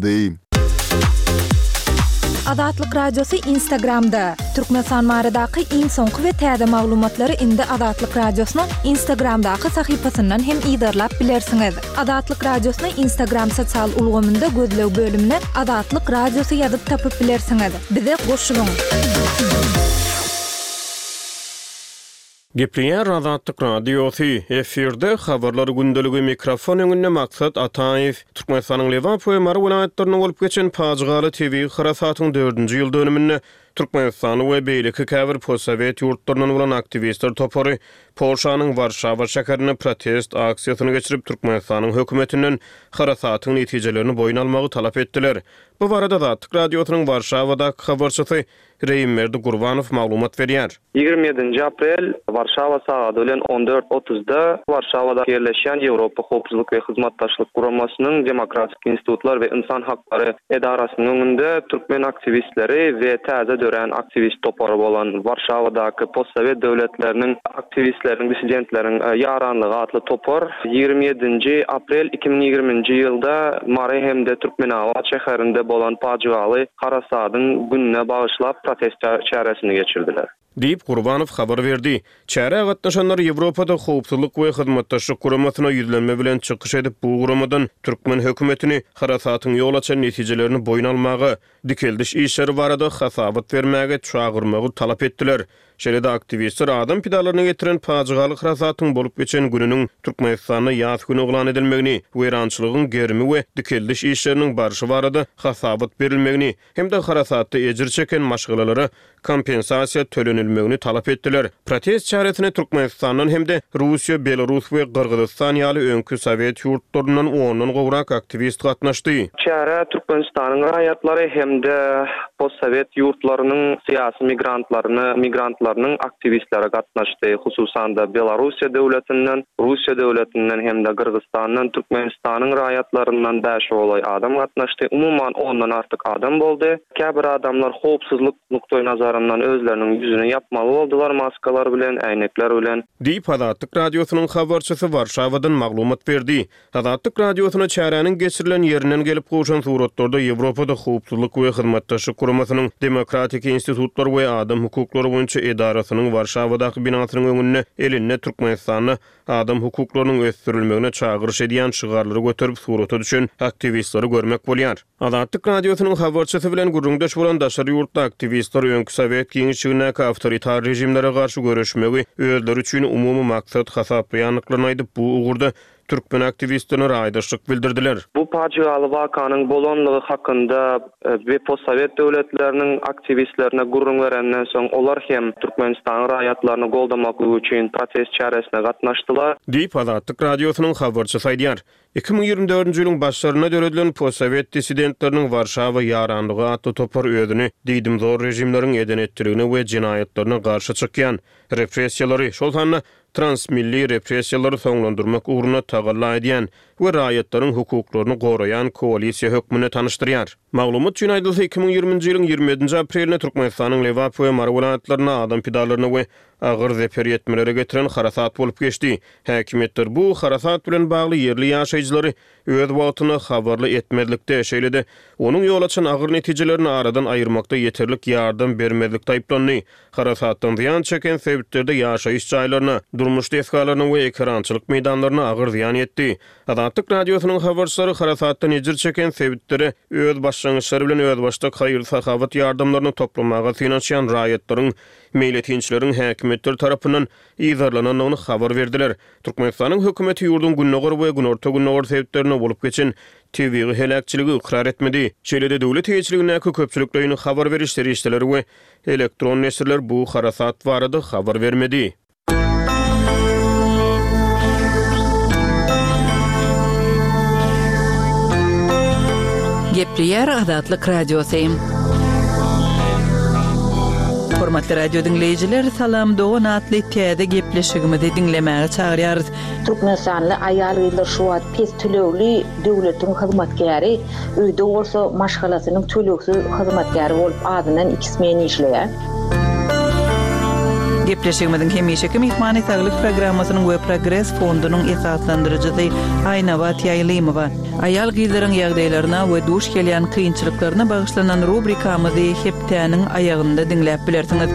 Dy. Azatlyk Radiosy Instagramda! Türkmenistan baradaky iň soňky we täze maglumatlary indi Azatlyk Radiosynyň Instagramdaky sahypasyndan hem yzarlap bilersiňiz. Azatlyk Radiosyny Instagram sosial ulgamynda gözleg bölümine Azatlyk Radiosy ýazyp tapyp bilersiňiz. Bize goşulyň! Gepleýär Azatlyk Radiosy, efirde Habarlar gündeligi, mikrofon öňünde Maksat Ataýew. Türkmenistanyň Lebap we Mary welaýatlarynda bolup geçen pajygaly tebigy harasatyň dördünji ýyl dönüminde Türkmenistany we beýleki käbir postsowet ýurtlaryndan bolan aktiwistler topary Polşanyň Warşawa şäherinde protest aksiýasyny geçirip, Türkmenistanyň hökümetinden harasatyň netijelerini boýun almagy talap etdiler. Bu barada Azatlyk Radiosynyň Warşawadaky habarçysy Reýimberdi Gurbanow maglumat berýär. 27-nji aprel, Warşawa sagady bilen on dört otuzda Warşawada ýerleşýän Ýewropa Howpsuzlyk we Hyzmatdaşlyk Guramasynyň Demokratik institutlar we ynsan haklary edarasynyň öňünde türkmen aktiwistleri we täze dörän aktiwist topary bolan Warşawadaky postsowet döwletleriniň aktiwistleriniň, dissidentleriň ýaranlygy atly topar 27-nji aprel 2020-nji ýylda Mary hem-de Türkmenabat şäherinde bolan pajygaly Harasadyň gününe bagyşlap protest çäresini geçirdiler. Diýip, Gurbanow habar berdi. Çärä gatnaşanlar Ýewropada Howpsuzlyk we Hyzmatdaşlyk Guramasyna ýüzlenme bilen çykyş edip, bu guramadan türkmen hökümetini harasatyň ýol açan netijelerini boýun almaga, dikeldiş işleri barada hasabat bermäge çagyrmagy talap etdiler. Şeýle-de aktiwistler adam pidalaryna getiren pajygaly harasatyň bolup geçen gününiň Türkmenistanda ýas güni yglan edilmegini, weýrançylygyň gerimi we dikeldiş işleriniň barşy barada hasabat berilmegini hem-de harasatda ejir çeken maşgalalara kompensasiýa tölenilmegini talap etdiler. Protest çäresine Türkmenistandan hem-de Russiýa, Belarus we Gyrgyzystan ýaly öňki sowet ýurtlaryndan ondan gowrak aktiwist gatnaşdy. Çärä Türkmenistanyň raýatlary hem-de postsowet ýurtlarynyň syýasy migrantlaryny migrantlarynyň aktiwistleri gatnaşdy, hususan-da, Belarussiýa döwletinden, Russiýa döwletinden hem-de Gyrgyzstandan Türkmenistanyň raýatlaryndan bäşe golaý adam gatnaşdy, umuman ondan artyk adam boldy. Käbir adamlar howpsuzlyk nukdaýnazaryndan özleriniň ýüzüni ýapmaly boldular maskalar bilen, äýnekler bilen. Diýip, Azatlyk Radiosynyň habarçysy Warşawadan maglumat berdi. Azatlyk Radiosyna çäräniň geçirilen ýerinden gelip gowşan suratlarda Ýewropada Howpsuzlyk we Hyzmatdaşlyk Guramasynyň Demokratik institutlar we adam hukuklary boýunça edarasynyň Warşawadaky binasynyň öňünde elinde Türkmenistanda adam hukuklarynyň ösdürilmegine çagyryş edýän şygarlary göterip surata düşen aktiwistleri görmek bolýar. Azatlyk Radiosynyň habarçysy bilen gürrüňdeş bolan daşary ýurtly aktiwistler öňki sowet giňişligindäki awtoritar režimlere garşy göreşmegi özleri üçin umumy maksat hasaplaýandyklaryny aýdyp, bu ugurda türkmen aktiwistlerine raýdaşlyk bildirdiler. Bu pajygaly wakanyň bolanlygy hakynda we postsowet döwletleriniň aktiwistlerine gürrüň berenden soň, olar hem Türkmenistanyň raýatlaryny goldamaklyk üçin protest çäresine gatnaşdylar. Diýip, Azatlyk Radiosynyň habarçysy aýdýar. 2024-nji ýylyň başlarynda döredilen postsowet dissidentleriniň Warşawa ýaranlygy atly topar özüni diýdimzor režimleriň eden-etdiligine we jenaýatlaryna garşy çykýan, repressiýalary, şol sanda transmilli repressiýalary soňlandyrmak ugrunda tagalla edýän we raýatlaryň hukuklaryny goraýan koalisiýa hökmünde tanyşdyrýar. Maglumat üçin aýdylsa, 2020-nji ýylyň 27-nji aprelinde Türkmenistanyň Lebap we Mary welaýatlarynda adam pidalaryna we agyr zeper ýetmelere getiren harasat bolup geçdi. Häkimiýetler bu harasat bilen bagly ýerli ýaşaýjylary öz wagtynda habarly etmezlikde, şeýle-de onuň ýol açan agyr netijelerini aradan aýyrmakda ýeterlik ýardam bermezlikde aýyplandy. Harasatdan zyýan çeken sebitlerde ýaşaýyş jaýlaryna, durmuş desgalaryna we ekerançylyk meýdanlaryna agyr zyýan ýetdi. Azatlyk Radiosynyň habarçylary harasatdan ejir çeken sebitlere öz başlangyçlary bilen özbaşdak haýyr-sahawat ýardamlaryny toplamaga synanyşýan raýatlaryň, meýletinçileriň häkimiýetler tarapyndan yzarlanandygyny habar berdiler. Türkmenistanyň hökümeti ýurduň gündogar we günorta-gündogar sebitlerinde bolup geçen tebigy heläkçiligi ykrar etmedi. Şeýle-de döwlet eýeçiligindäki köpçülikleýin habar beriş serişdeleri we elektron neşirler bu harasat barada habar bermedi. Gepleýär Azatlyk Radiosy. Hormatly radio diňleýjiler, Salam dogan atly täze gepleşigimizi diňlemäge çagyrýarys. Türkmenistanly aýal-gyzlar şu wagt pes tölegli döwletiň hyzmatkäri, öýde bolsa maşgalasynyň tölegsiz hyzmatkäri bolup azyndan iki smen işleýär. Gepleşigimiziň hemişeki myhmany Saglyk programmasynyň we Progres fondunyň esaslandyryjysy Aýnabat Ýaýlymowa. Aýal-gyzlaryň ýagdaýlaryna we duş gelýän kynçylyklaryna bagyşlanan rubrikamyzy hepdäniň aýagynda diňläp bilersiňiz.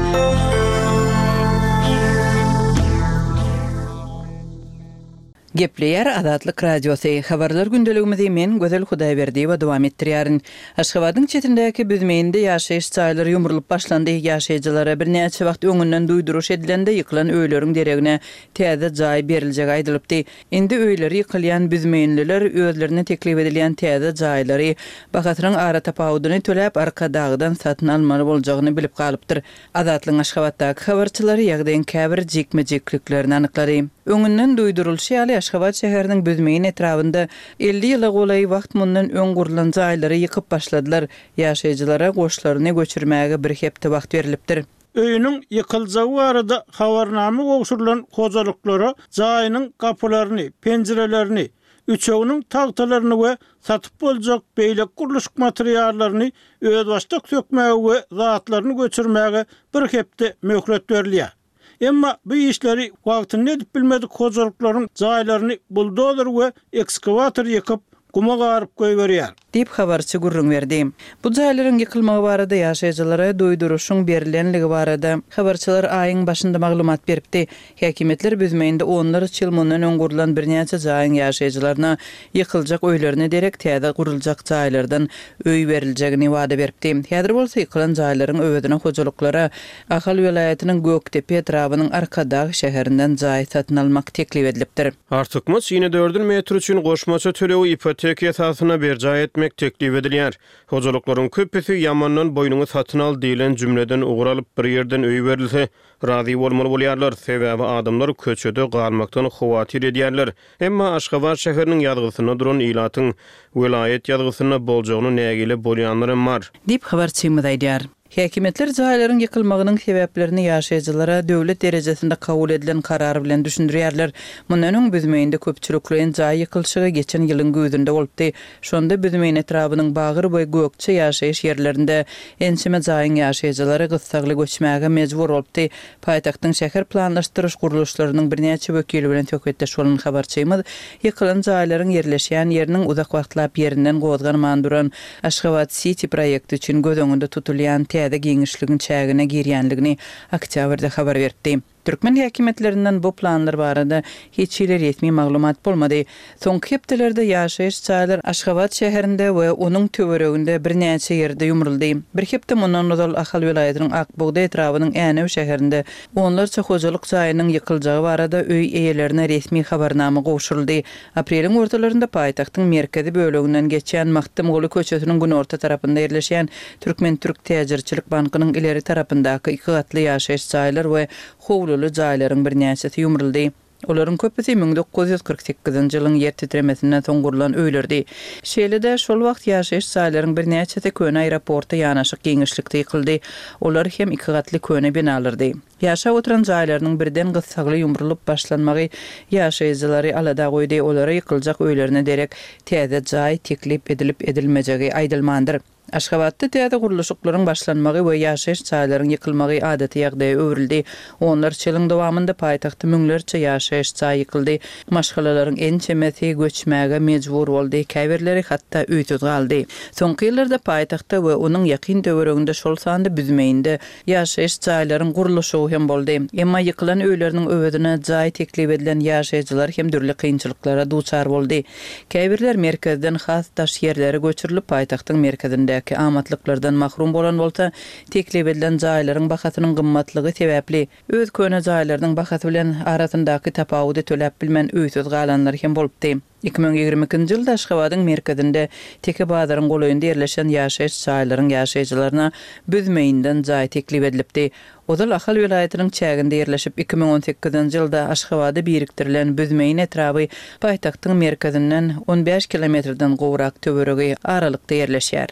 Gepleýär Azatlyk Radiosy. Habarlar gündeligimizi men, Gözel Hudaýberdiýewa dowam etdirýärin. Aşgabadyň çetindäki Büzmeýinde ýaşaýyş jaýlary ýumrulyp başlandy. Ýaşaýjylara birnäçe wagt öňünden duýduryş edilende ýykylan öýleriň deregine täze jaý beriljegi aýdylypdy. Indi öýleri ýykylýan büzmeýinliler özlerine teklip edilýän täze jaýlary bahasynyň aratapawudyny töläp Arkadagdan satyn almaly boljagyny bilip galypdyr. Azatlygyň Aşgabatdaky habarçylary ýagdaýyň käbir jikme-jikliklerini anyklady. Öňünden duýdurylyşy ýaly, Aşgabat şäheriniň Büzmeýin etrabynda 50 ýyla golaý wagt mundan öň gurlan jaýlary ýykyp başladylar. Ýaşaýjylara goşlaryny göçürmäge bir hepde wagt berlipdir. Öýüniň ýykyljagy barada habarnama gowşurylan hojalyklara jaýynyň gapylaryny, penjirelerini, üçeginiň tagtalaryny we satyp boljak beýleki gurluşyk materiallaryny özbaşdak sökmäge we zatlaryny göçürmäge bir hepde möhlet berilýär. Emma bu işleri wagtynda edip bilmedik hojalyklaryň jaýlaryny buldozer we ekskawator ýykyp, guma garyp goýberýär. Diýip, habarçy gürrüň berdi. Bu jaýlaryň ýykylmagy barada ýaşaýjylara duýduryşyň berlenligi barada habarçylar aýyň başynda maglumat beripdi. Häkimiýetler Büzmeýinde onlarça ýyl mundan öň gurlan birnäçe jaýyň ýaşaýjylaryna ýykyljak öýlerine derek täze guruljak jaýlardan öý beriljegini wada beripdi. Häzir bolsa ýykylan jaýlaryň öwezine hojalyklara Ahal welaýatynyň Gökdepe etrabynyň Arkadag şäherinden jaý satyn almak teklip edilipdir. Artykmaç inedördül metr üçin goşmaça tölegi ipoteka esasynda berjaý etmek teklip edilýär. Hojalyklaryň köpüsi ýamandan boýnuňy satyn al diýlen jümleden ugur alyp, bir ýerden öý berilse, razy bolmaly bolýarlar, sebäbi adamlar köçede galmakdan howatyr edýärler. Emma Aşgabat şäheriniň ýazgysynda duran ilatyň welaýat ýazgysynda boljagyna nägile bolýanlar hem bar. Diýip, habarçymyz aýdýar. Häkimiýetler jaýlaryň ýykylmagynyň sebäplerini ýaşaýjylara döwlet derejesinde kabul edilen karar bilen düşündirýärler. Mundan öň Büzmeýinde köpçülikleýin jaý ýykylyşygy geçen ýylyň güýzünde bolupdy. Şonda Büzmeýin etrabynyň Bagyr we Gökje ýaşaýyş ýerlerinde ençeme jaýyň ýaşaýjylary gyssagly göçmäge mejbur bolupdy. Paýtagtyň şäher planlaşdyryş gurluşlarynyň birnäçe wekili bilen söhbetdeş bolan habarçymyz ýykylan jaýlaryň ýerleşýän ýeriniň uzak wagtlap ýerinden gozganman duran Aşgabat-siti proýekti üçin göz öňünde tutulýan täze giňişligiň çägine girýänligini oktýabrda habar beripdi. Türkmen häkimiýetlerinden bu planlar barada hiç hili resmi maglumat bolmady. Soňky hepdelerde ýaşaýyş jaýlar Aşgabat şäherinde we onuň töwereginde birnäçe ýerde ýumruldy. Bir hepde mundan ozal Ahal welaýatynyň Ak bugdaý etrabynyň Änew şäherinde onlarça hojalyk jaýynyň ýykyljagy barada öý eýelerine resmi habarnama gowşuryldy. Apreliň ortalarynda paýtagtyň merkezi böleginden geçýän Magtymguly köçesiniň günorta tarapynda ýerleşýän Türkmen-türk täjirçilik bankynyň ileri tarapyndaky iki gatly ýaşaýyş jaýlar we howluly jaýlaryň birnäçesi ýumruldy. Olaryň köpüsi 1948-nji ýylyň ýer titremesinden soň gurlan öýlerdi. Şeýle-de, şol wagt ýaşaýyş jaýlaryň birnäçesi köne aeroporta ýanaşyk giňişlikde ýykyldy. Olar hem iki gatly köne binalardy. Ýaşap oturan jaýlarynyň birden gyssagly ýumrulyp başlanmagy ýaşaýjylary alada goýdy, olara ýykyljak öýlerine derek täze jaý teklip edilip-edilmejegi aýdylmandyr. Aşgabatda täze gurluşyklaryň başlanmagy we ýaşaýyş jaýlaryň ýykylmagy adaty ýagdaýa öwrüldi. Onlarça ýylyň dowamynda paýtagtda müňlerçe ýaşaýyş jaý ýykyldy, maşgalalaryň ençemesi göçmäge mejbur boldy, käbirleri hatda öýsüz galdy. Soňky ýyllarda paýtagtda we onuň ýakyn töwereginde, şol sanda Büzmeýinde Ýaşaýyş jaýlaryň gurluşygy hem boldy. Emma ýykylan öýleriniň öwezine jaý teklip edilen ýaşaýjylar hem dürli kynçylyklara duçar boldy. Käbirler merkezden has daş ýerlere göçürilip, paýtagtyň merkezindäki amatlyklardan mahrum bolan bolsa, teklip edilen jaýlaryň bahasynyň gymmatlygy sebäpli, öz köne jaýlarynyň bahasy bilen arasyndaky tapawudy töläp bilmän öýsüz galanlar hem bolupdy. 2022-nji ýylda Aşgabadyň merkezinde, Teke bazaryň golaýynda ýerleşen ýaşaýyş jaýlaryň ýaşaýjylaryna Büzmeýinden jaý teklip edilipdi. Ozal Ahal welaýatynyň çäginde ýerleşip, 2018-nji ýylda Aşgabada birikdirilen Büzmeýin etraby paýtagtyň merkezinden on bäş kilometrden gowrak töweregi aralykda ýerleşýär.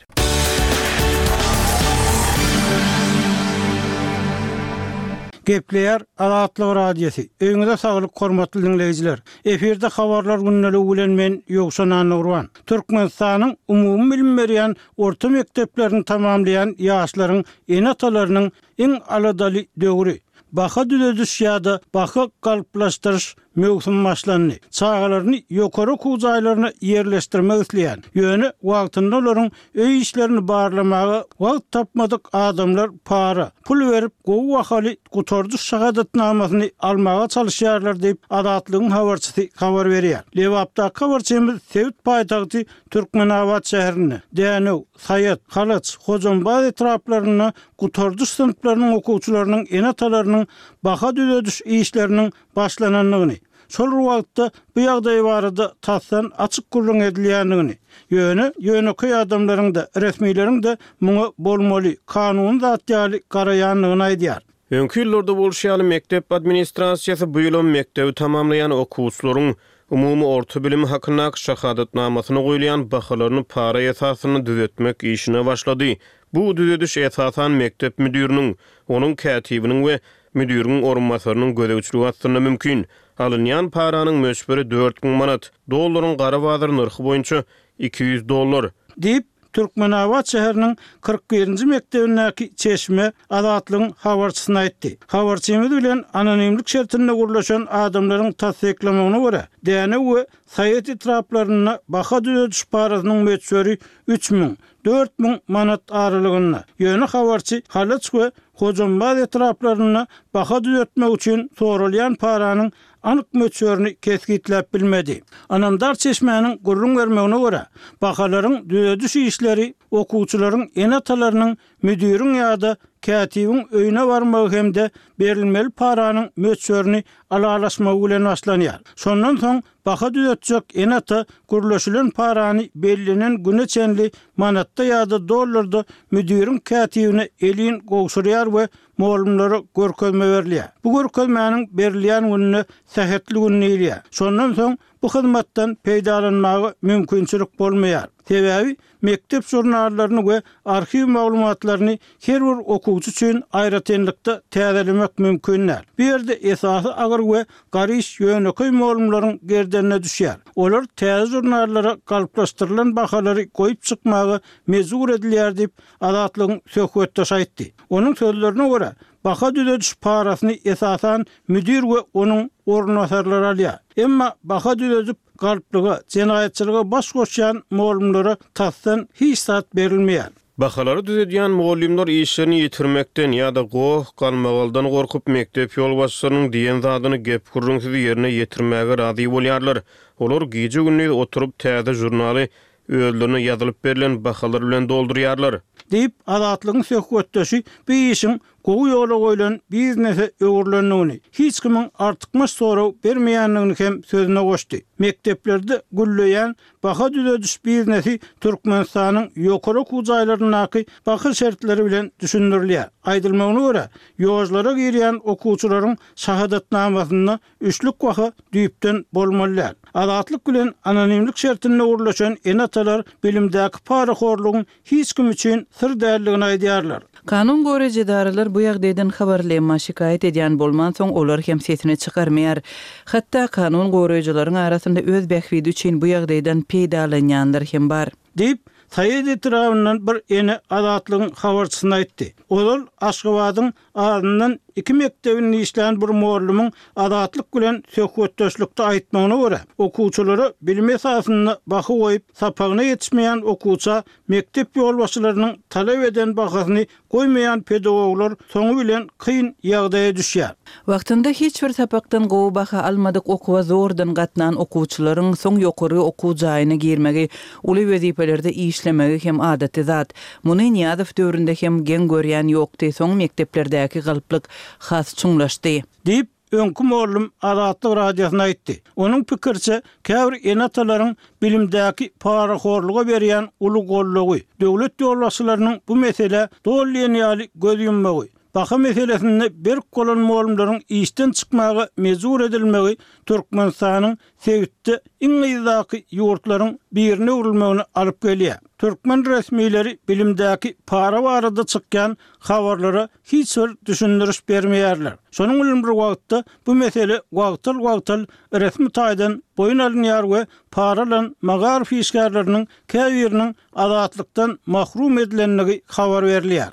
Gepleýär Azatlyk Radiosy, Öýüňize saglyk hormatly diňleýjiler! Efirde Habarlar gündeligi bilen men Ýowşan Annagurban. Türkmenistanyň umumy bilim berýän orta mekdeplerini tamamlaýan ýaşlaryň ene-atalarynyň iň aladaly döwri. baha düzediş ýa-da baha galplaşdyryş möwsümi başlandy. Çagalaryny ýokary okuw jaýlaryna ýerleşdirmek isleýän, ýöne wagtynda olaryň öý işlerini barlamaga wagt tapmadyk adamlar para, pul berip, gowy bahaly gutardyş şahadatnamasyny almaga çalyşýarlar diýip, Azatlygyň habarçysy habar berýär. Lebapdaky habarçymyz sebit paýtagty Türkmenabat şäherinde, Dänew, Saýat, Halaç, Hojambaz etraplarynda gutardyş synplarynyň okuwçylarynyň ene-atalarynyň baha düzediş işleriniň başlanandygyny, şol bir wagtda bu ýagdaý barada tasdan açyk gürrüň edilýändigini, ýöne ýönekeý adamlaryň-da, resmileriň-de muňa bolmaly, kanuny zat ýaly garaýandygyny aýdýar. Öňki ýyllarda bolşy ýaly, mekdep administrasiýasy bu ýylam mekdebi tamamlaýan okuwçylaryň umumy orta bilimi hakyndaky şahadatnamasyna goýulýan bahalaryny para esasynda düzetmek işine başlady. Bu düzediş esasan mekdep müdiriniň, onuň kätibiniň we müdiriň orunbasarynyň gözegçiligi astynda mümkin. Alynýan paranyň möçberi 4000 manat, dollaryň gara bazar nyrhy boýunça 200 dollar. Diýip, Türkmenabat şäheriniň 41-nji mekdebindäki çeşme Azatlygyň habarçysyna aýtdy. Habarçymyz bilen anonimlik şertinde gürleşen adamlaryň tassyklamagyna görä, Dänew we Saýat etraplarynda baha düzediş parasynyň möçberi 3000, 4000 manat aralygynda. Ýöne habarçy Halaç we Hojambaz etraplarynda baha düzetmek üçin soralýan paranyň anyk möçberini kesgitläp bilmedi. Ynamdar çeşmäniň gürrüň bermegine görä, bahalaryň düzediş işleri okuwçylaryň ene-atalarynyň müdiriň ýa-da kätibiň öýüne barmagy hem-de berilmeli paranyň möçberini ylalaşmagy bilen başlanýar. Şondan soň baha düzetjek ene-ata gürleşilen parany bellenen güne çenli manatda ýa-da dollarda müdiriň kätibine elin gowşurýar we mugallymlara görkezme berilýär. Bu görkezmäniň berilýän gününe sähetli gün diýilýär. Şondan soň bu hyzmatdan peýdalanmaga mümkinçilik bolmaýar. Sebäbi mekdep žurnallaryny we arhiw maglumatlaryny her bir okuwçy üçin aýratynlykda täzelemek mümkin däl. Bu ýerde esasy agyr we garyş ýönekeý mugallymlaryň gerdenine düşýär. Olar täze žurnallara galplaşdyrylan bahalary goýup çykmaga mejbur edilýär diýip, Azatlygyň söhbetdeşi aýtdy. Onuň sözlerine görä, baha düzediş parasyny esasan müdir we onuň orunbasarlary alýar. Emma baha düzedip galplyga, jenaýatçylyga baş goşýan mugallymlara tasdan hiç zat berilmeýär. Bahalary düzedýän mugallymlar işlerini ýitirmekden ýa-da goh-galmagaldan gorkup, mekdep ýolbaşçylarynyň diýen zadyny gep-gürrüňsiz ýerine ýetirmäge razy bolýarlar. Olar gije-gündiz oturyp, täze žurnaly özlerine ýazylyp berlen bahalar bilen doldurýarlar. Diýip, Azatlygyň söhbetdeşi bu işiň gowy ýola goýlan biznese öwrülendigini, hiç kimiň artykmaç sorag bermeýändigini hem sözüne goşdy. Mekdeplerde gülleýän baha düzediş biznesi Türkmenistanyň ýokary okuw jaýlaryndaky baha şertleri bilen düşündirilýär. Aýdylmagyna görä, ýožlara girýän okuwçylaryň şahadatnamasynda Üçlük baha düýpden bolmaly däl. Azatlyk bilen anonimlik şertinde gürleşen ene-atalar bilimdäki parahorlugyň hiç kim üçin syr däldigini aýdýarlar. Kanun goraýjy edaralar bu ýagdaýdan habarly, emma şikaýat edýän bolmansoň, olar hem sesini çykarmaýar. Hatda kanun goraýjylaryň arasynda öz bähbidi üçin bu ýagdaýdan peýdalanýanlar hem bar. Diýip, Saýat etrabyndan bir ene Azatlygyň habarçysyna aýtdy. Ozal Aşgabadyň Azyndan iki mekdebinde işlän bir mugallymyň Azatlyk bilen söhbetdeşlikde aýtmagyna görä, okuwçylara bilimi esasynda baha goýup, sapagyna ýetişmeýän okuwça mekdep ýolbaşçylarynyň talap eden bahasyny goýmaýan pedagoglar soňy bilen kyn ýagdaýa düşýär. Wagtynda hiç bir sapakdan gowy baha almadyk okuwa zordan gatnan okuwçylaryň soň ýokary okuw jaýyna girmegi, uly wezipelerde işlemegi hem adaty zat. Muny Nyýazow döwründe hem geň görýän ýokdy, soň mekdeplerdäki galplyk has çuňlaşdy. Diýip, öňki mugallym Azatlyk Radiosyna aýtdy. Onuň pikiriçe, käbir ene-atalaryň bilimdäki parahorluga berýän uly goldawy, döwlet ýolbaşçylarynyň bu meselä doly diýen ýaly göz ýummagy, baha meselesinde berk bolan mugallymlaryň işden çykmaga mejbur edilmegi Türkmenistanyň sebitde iň yzdaky ýurtlaryň birine öwrülmegine alyp gelýär. Türkmen resmileri bilimdäki para barada çykýan habarlara hiç bir düşündiriş bermeýärler. Şonuň bilen bir wagtda, bu mesele wagtal-wagtal resmi taýdan boýun alynýar we para alan magaryf işgärleriniň käbiriniň azatlykdan mahrum edilendigi habar berilýär.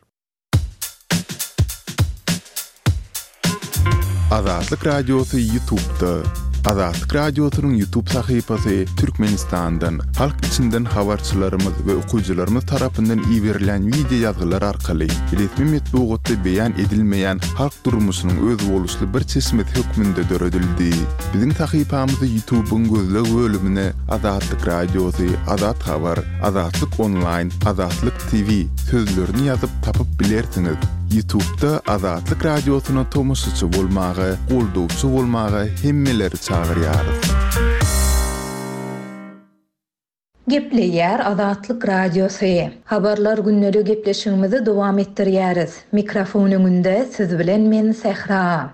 Azatlyk Radiosy Ýutubda. Azatlyk Radiosynyň Ýutub sahypasy Türkmenistandan, halk içinden habarçylarymyz we okyjylarymyz tarapyndan iberilýän wideo ýazgylar arkaly resmi metbugatda beýan edilmeýän halk durmuşynyň özboluşly bir çeşmesi hökmünde döredildi. Biziň sahypamyzy Ýutubyň gözleg bölümine Azatlyk Radiosy, Azat Habar, Azatlyk Onlaýn, Azatlyk TV sözlerini ýazyp tapyp bilersiňiz. Ýutubda Azatlyk Radiosyna tomaşaçy bolmaga, goldawçy bolmaga hemmeleri çagyrýarys. Gepleýär Azatlyk Radiosy. Habarlar gündeligi gepleşigimizi dowam etdirýäris. Mikrofon öňünde siz bilen men Sähra.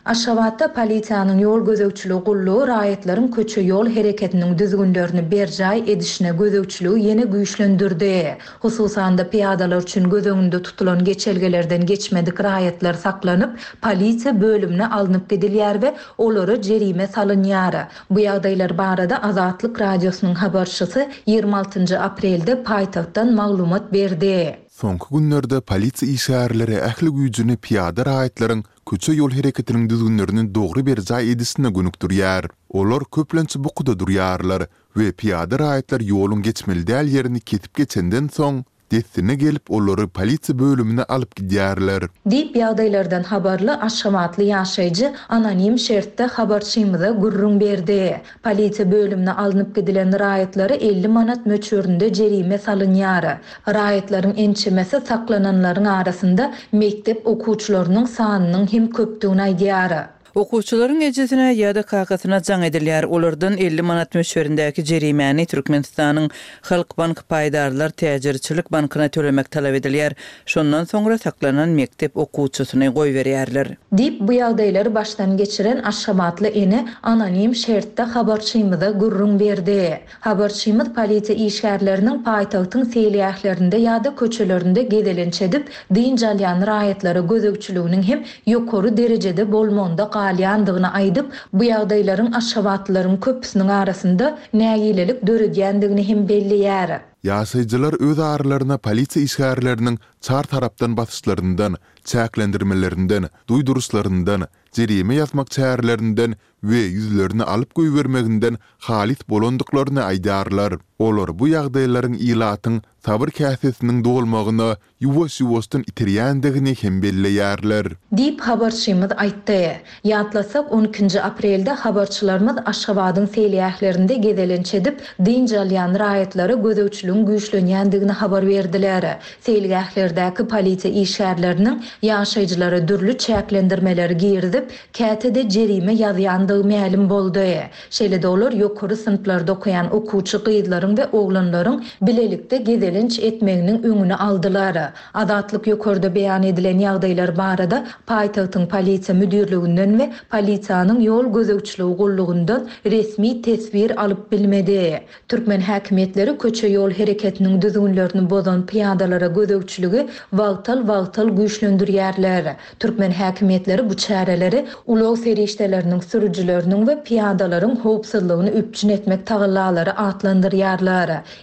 Aşgabatda polisiýanyň ýol gözegçiligi gullugy raýatlaryň köçe-ýol hereketiniň düzgünlerini berjaý edişine gözegçiligi ýene güýçlendirdi. Hususan-da, pyýadalar üçin göz öňünde tutulan geçelgelerden geçmedik raýatlar saklanyp, polisiýa bölümine alnyp gidilýär we olara jerime salynýar. Bu ýagdaýlar barada Azatlyk Radiosynyň habarçysy 26 aprelde paýtagtdan maglumat berdi. Soňky günlerde polisiýa işgärleri ähli güýjüni pyýada raýatlaryň köçe-ýol hereketiniň düzgünlerini dogry berjaý edişine gönükdirýär. Olar köplenç bukuda durýarlar we pyýada raýatlar ýoluň geçmeli däl ýerini kesip geçenden soň, dessine gelip olary polisiýa bölümine alyp gidýärler. Diýip, ýagdaýlardan habarly aşgabatly ýaşaýjy anonim şertde habarçymyza gürrüň berdi. Polisiýa bölümine alnyp gidilen raýatlara 50 manat möçberinde jerime salynýar. Raýatlaryň ençemesi saklananlaryň arasynda mekdep okuwçylarynyň sanynyň hem köpdügini aýdýar. Okuwçylaryň ejesine ýa-da kakasyna jaň edilýär, olardan 50 manat möçberindäki jerimäni Türkmenistanyň Halkbank paýdarlar täjirçilik bankyna tölemek talap edilýär. Şondan soňra saklanan mekdep okuwçysyny goýberýärler. Diýip, bu ýagdaýlary başdan geçiren aşgabatly ene anonim şertde habarçymyza gürrüň berdi. Habarçymyz polisiýa işgärleriniň paýtagtyň seýilgählerinde ýa-da köçelerinde gezelenç edip, dynç alýan raýatlara gözegçiliginiň hem ýokary derejede bolmagynda galýandygyny aýdyp, bu ýagdaýlaryň aşgabatlylaryň köpüsiniň arasynda nägilelik döredýändigini hem belleýär. Ýaşaýjylar öz aralaryna polisiýa işgärleriniň çar tarapdan basyşlaryndan, çäklendirmelerinden, duýduryşlaryndan, jerime ýazmak çärelerinden we ýüzlerini alyp goýbermeginden halys bolandyklaryny aýdýarlar. Olar bu ýagdaýlaryň ilatyň sabyr käsesiniň dolmagyna ýuwaş-ýuwaşdan iterýändigini hem belleýärler. Diýip, habarçymyz aýtdy. Ýatlasak, on ikinji aprelde habarçylarymyz Aşgabadyň seýilgählerinde gezelenç edip, dynç alýan raýatlara gözegçiligiň güýçlenýändigini habar berdiler. Seýilgählerdäki polisiýa işgärleriniň ýaşaýjylara dürli çäklendirmeleri girizip, käte-de jerime ýazýandygy mälim boldy. Şeýle-de olar ýokary synplarda okaýan okuwçy gyzlaryň we oglanlaryň bilelikde gezelenç etmeginiň öňüni aldylar. Azatlyk ýokarda beýan edilen ýagdaýlar barada paýtagtyň polisiýa müdirliginden we polisiýanyň ýol gözegçiligi gullugyndan resmi teswir alyp bilmedi. Türkmen häkimiýetleri köçe-ýol hereketiniň düzgünlerini bozan pyýadalara gözegçiligi wagtal-wagtal güýçlendirýärler. Türkmen häkimiýetleri bu çäreleri ulag serişdeleriniň sürüjileriniň we pyýadalaryň howpsuzlygyny üpjün etmek tagallalary atlandyrýarlar.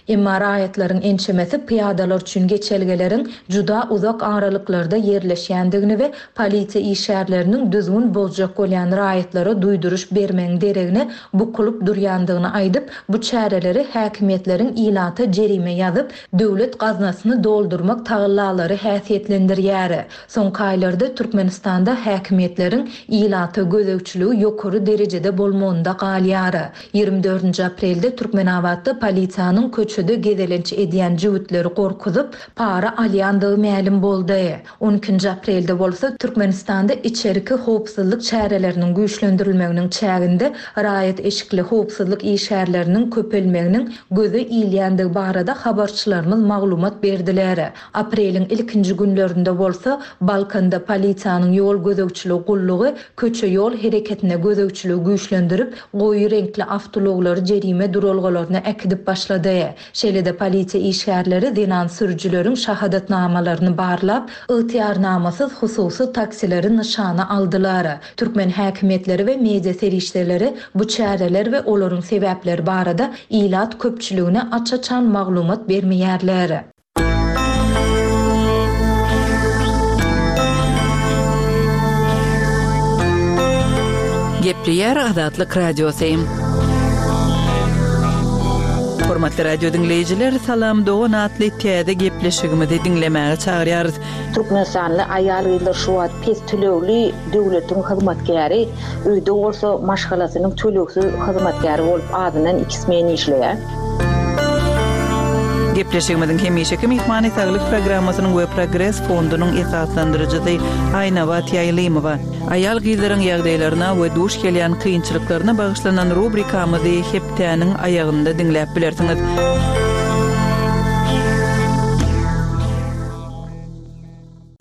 Emma raýatlaryň ençemesi pyýadalar üçin geçelgeleriň juda uzak aralyklarda ýerleşýändigini we polisiýa işgärleriniň düzgün bozjak bolýan raýatlara duýduryş bermegiň deregine bukulyp durýandygyny aýdyp, bu çäreleri häkimiýetleriň ilata jerime ýazyp, döwlet gaznasyny doldurmak tagallalary häsiýetlendirýär. Soňky aýlarda Türkmenistanda häkimiýetleriň ilata gözegçiligi ýokary derejede bolmagynda galýar. Ýigrimi dördünji aprelde Türkmenabatda polisiýanyň köçede gezelenç edýän jübütleri gorkuzyp, para alýandygy mälim boldy. On ikinji aprelde bolsa Türkmenistanda içerki howpsuzlyk çäreleriniň güýçlendirilmeginiň çäginde raýat eşikli howpsuzlyk işgärleriniň köpelmeginiň göze ilýändigi barada habarçylarymyz maglumat berdiler. Apreliň ilkinji günlerinde bolsa, Balkanda polisiýanyň ýol gözegçiligi gullugy köçe-ýol hereketine gözegçiligi güýçlendirip, goýy reňkli awtoulaglary jerime duralgalaryna äkidip başlady. Şeýle-de polisiýa işgärleri zenan sürüjileriň şahadatnamalaryny barlap, ygtyýarnamasyz hususy taksileri nyşana aldylar. Türkmen häkimiýetleri we media serişdeleri bu çäreler we olaryň sebäpleri barada ilat köpçüligine aç-açan maglumat bermeýärler. Gepleýär Azatlyk Radiosy. Hormatly radio diňleýjiler, Salam dogan atly täze gepleşigimizi diňlemäge çagyrýarys. Türkmenistanly aýal-gyzlar şu wagt pes tölegli döwletiň hyzmatkäri, öýde bolsa maşgalasynyň tölegsiz hyzmatkäri bolup azyndan iki smen işleýär. Gepleşigimiziň hemişeki myhmany Saglyk programmasynyň we Progres fondunyň esaslandyryjysy Aýnabat Ýaýlymowa. Aýal-gyzlaryň ýagdaýlaryna we duş gelýän kynçylyklaryna bagyşlanan rubrikamyzy hepdäniň aýagynda diňläp bilersiňiz.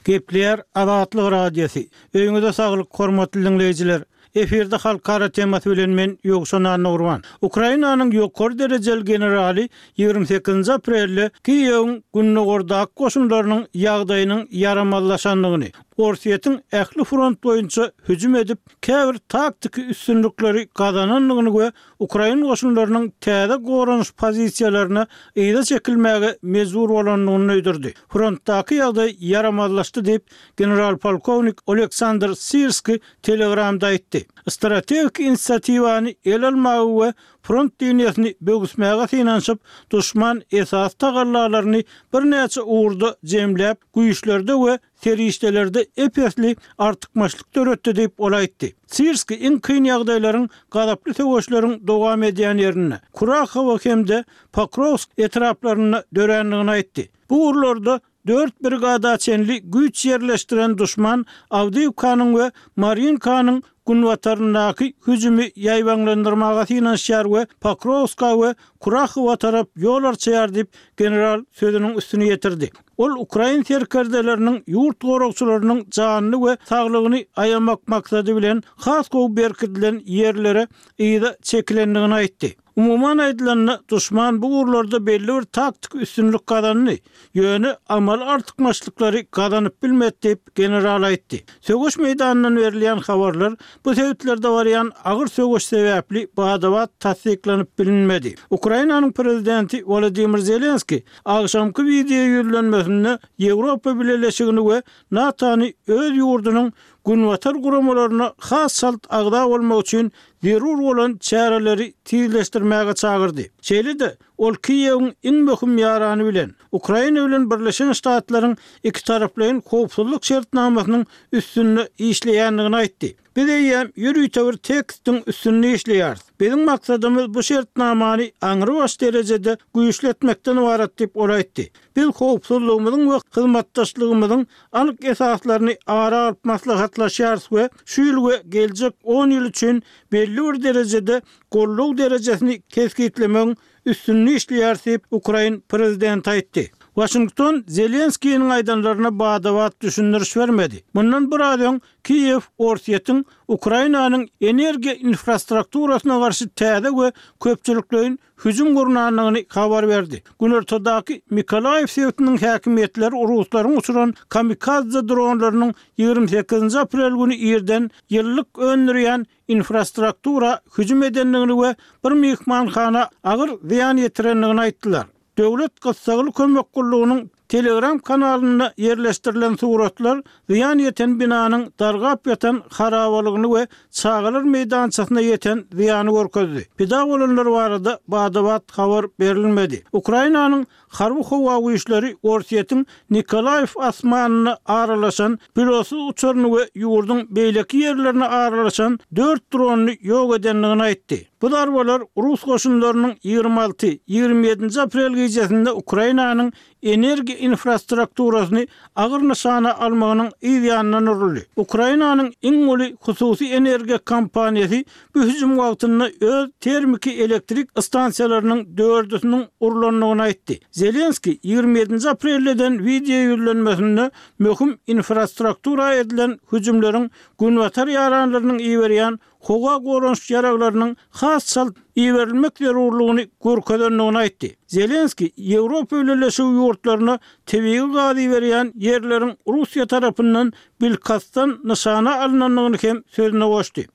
Gepleýär Azatlyk Radiosy. Öýüňize saglyk, hormatly diňleýjiler! Efirde halkara temasy bilen men Ýowşan Annagurban. Ukrainanyň ýokary derejeli generaly 28-nji aprelde Kiýewiň gündogardaky goşunlarynyň ýagdaýynyň ýaramazlaşandygyny, Orsýetiň ähli front boýunça hüjüm edip, käbir taktiki üstünlikleri gazanandygyny we ukrain goşunlarynyň täze goranyş pozisiýalaryna yza çekilmäge mejbur bolandygyny duýdurdy. Frontdaky ýagdaý ýaramazlaşdy diýip, general-polkownik Oleksandr Syrskiý Telegramda aýtdy. Strategik inisiatiwany ele almaga we front liniýasyny böwüsmäge synanyşyp, duşman esasy tagallalaryny birnäçe ugurda jemläp, güýçlerde we serişdelerde ep-esli artykmaçlyk döretdi diýip, ol aýtdy. Sirskiý iň kyn ýagdaýlaryň gazaply söweşleriň dowam edýän ýerinde, Kurahowo hem-de Pokrowsk etraplarynda dörändigini aýtdy. Bu ugurlarda Dört brigada çenli güýç ýerleşdiren duşman Awdiýewkanyň we Marýinkanyň günbataryndaky hüjümi ýaýbaňlandyrmaga synanyşýar we Pokrowska we Kurahowa tarap ýol arçaýar diýip, general sözüniň üstüni ýetirdi. Ol ukrain serkerdeleriniň ýurt goragçylarynyň janyny we saglygyny aýamak maksady bilen has gowy berkidilen ýerlere yza çekilendigini aýtdy. Umuman aýdylanda, duşman bu ugurlarda belli bir taktiki üstünlik gazandy, ýöne amaly artykmaçlyklary gazanyp bilmedi diýip, general aýtdy. Söweş meýdanyndan berilýän habarlar bu sebitlerde barýan agyr söweş sebäpli bada-bat tassyklanyp bilinmedi. Ukrainanyň prezidenti Wolodymyr Zelenskiý agşamky wideo ýüzlenmesinde Ýewropa Bileleşigini we NATO-ny öz ýurdunyň Günbatar guramalaryna has çalt agza bolmak üçin zerur bolan çäreleri tizleşdirmäge çagyrdy. Şeýle-de, ol Kiýewiň iň möhüm ýarany bilen, Ukraina bilen Birleşen Ştatlaryň ikitaraplaýyn howpsuzlyk şertnamasynyň üstünde işleýändigini aýtdy. Biz eýýäm ýörite bir tekstiň üstünde işleýäris. Biziň maksadymyz bu şertnamany aňrybaş derejede güýçli etmekden ybarat diýip, ol aýtdy. Biz howpsuzlygymyzyň we hyzmatdaşlygymyzyň anyk esaslaryny ara alyp maslahatlaşýarys we şu ýyl we geljek on ýyl üçin belli bir derejede goldaw derejesini kesgitlemegiň üstünde işleýäris diýip, ukrain prezidenti aýtdy. Waşington Zelenskiniň aýdanlaryna bada-bat düşündiriş bermedi. Mundan biraz öň Kiýew Orsýetiň Ukrainanyň energiýa infrastrukturasyna garşy täze we köpçülikleýin hüjüm gurnandygyny habar berdi. Günortadaky Mykolaýiw sebitiniň häkimiýetleri ruslaryň uçuran kamikadze dronlarynyň 28-nji aprel güni irden ýylylyk öndürýän infrastruktura hüjüm edendigini we bir myhmanhana agyr zyýan ýetirendigini aýtdylar. Döwlet gyssagly kömek gullugynyň Telegram kanalynda ýerleşdirilen suratlar zyýan ýeten binanyň dargap ýatan harabalygyny we çagalar meýdançasyna ýeten zyýany görkezdi. Pida bolanlar barada bada-bat habar berilmedi. Ukrainanyň Harby-howa güýçleri Orsýetiň Nikolaýew asmanyna aralaşan pilotsyz uçaryny we ýurduň beýleki ýerlerine aralaşan dört dronyny ýok edendigini aýtdy. Bu zarbalar rus goşunlarynyň 26, 27-nji aprel gijesinde Ukrainanyň energiýa infrastrukturasyny agyr nyşana almagynyň yz ýanyndan uruldy. Ukrainanyň iň uly hususy energiýa kompaniýasy bu hüjüm wagtynda öz termiki elektrik stansiýalarynyň dördüsiniň urlandygyny aýtdy. Zelenskiý 27-nji aprelde eden wideo ýüzlenmesinde möhüm infrastruktura edilen hüjümleriň Günbatar ýaranlarynyň iberýän howa goranyş ýaraglarynyň has çalt iberilmek zerurlygyny görkezendigini aýtdy. Zelenskiý Ýewropa Bileleşigi ýurtlaryna tebigy gaz iberýän ýerleriň Russiýa tarapyndan bilkastdan nyşana alnandygyny hem sözüne goşdy.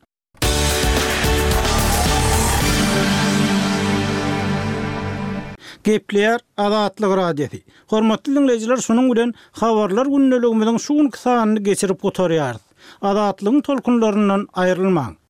Gepleýär Azatlyk Radiosy. Hormatly diňleýjiler şunuň bilen Habarlar gündeligimiziň şu günki sanyny geçirip gutarýarys. Azatlygyň tolkunlaryndan aýrylmaň!